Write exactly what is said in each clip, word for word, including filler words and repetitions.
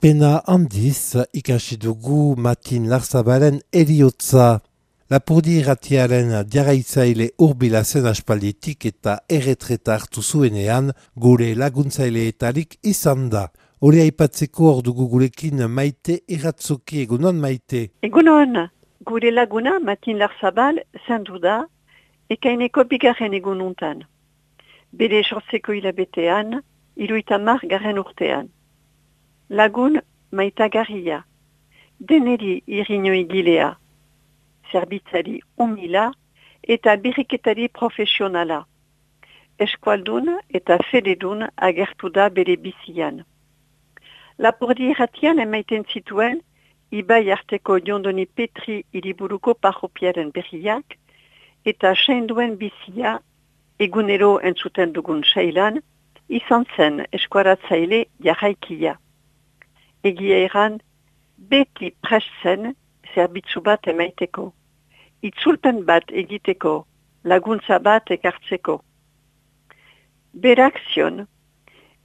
Pena handiz ikasi dugu Matin Larzabalen eriotza. Lapurdi irratiaren jarraitzaile hurbila zen aspalditik eta erretreta hartu zuenean gure laguntzaileetarik izan da. Hori aipatzeko hor dugu gurekin Maite Irratzoki. Egunon, Maite? Egunon, gure laguna Matin Larzabal zendu da ekaineko bigarren egununtan. Bere sortzeko hilabetean, hirurogeita hamar garren urtean. Lagun maitagarria, deneri irriño igilea, zerbitzari umila eta birriketari profesionala. Eskualdun eta fededun agertu da bere bizian. Lapurdi irratian emaiten zituen, ibai arteko Jondoni Petri hiriburuko parropiaren berriak eta sainduen bizia egunero entzuten dugun sailan, izan zen eskuaratzaile jarraikia. Egia eran, beti prest zen zerbitzu bat emaiteko. Itzulpen bat egiteko, laguntza bat ekartzeko. Berak zion,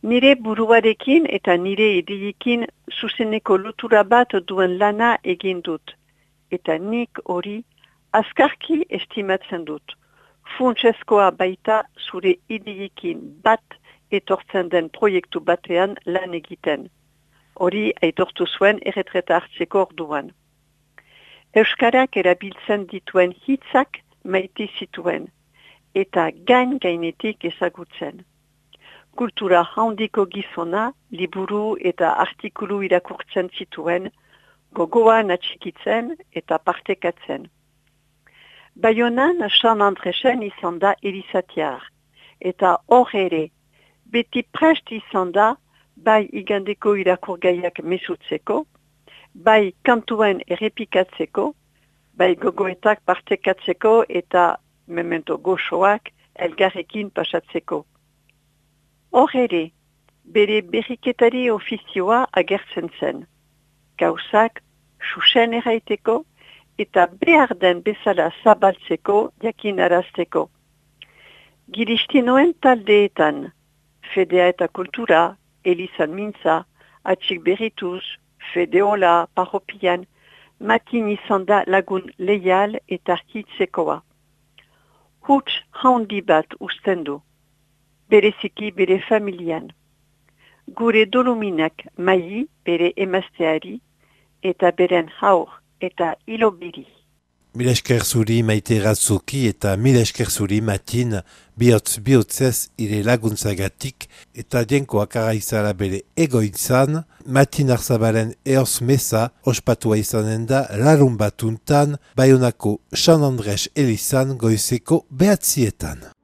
nire buruarekin eta nire ideikin zuzeneko lotura bat duen lana egin dut. Eta nik hori azkarki estimatzen dut. Funtsezkoa baita zure ideikin bat etortzen den proiektu batean lan egiten. Hori aitortu zuen erretreta hartzeko orduan. Euskarak erabiltzen dituen hitzak maite zituen, eta gain-gainetik ezagutzen. Kultura handiko gizona, liburu eta artikulu irakurtzen zituen, gogoan atxikitzen eta partekatzen. Baionan San Andresen izan da erizatiar, eta hor ere, beti prest izan da, bai igandeko irakurgaiak mesutzeko, bai kantuen errepikatzeko, bai gogoetak partekatzeko eta memento goxoak elgarrekin pasatzeko. Hor ere, bere berriketari ofizioa agertzen zen. Gauzak xuxen erraiteko eta behar den bezala zabaltzeko jakinarazteko. Giristinoen taldeetan, Fedea eta Kultura, Elizan Mintza, Atxik Berrituz, Fedeola, Parropian, Matin izan da lagun leial eta hitzekoa. Huts handi bat usten du, bereziki bere familian. Gure doluminak mai bere emazteari eta beren haur eta ilobiri. Mil esker zuri Maite Irratzoki eta mil esker zuri Matin bihotz bihotzez ire laguntzagatik eta dienkoak araizala bere egoitzan, Matin Larzabalen eoz meza ospatua izanen da larun batuntan Baionako San Andres elizan goizeko behatzietan.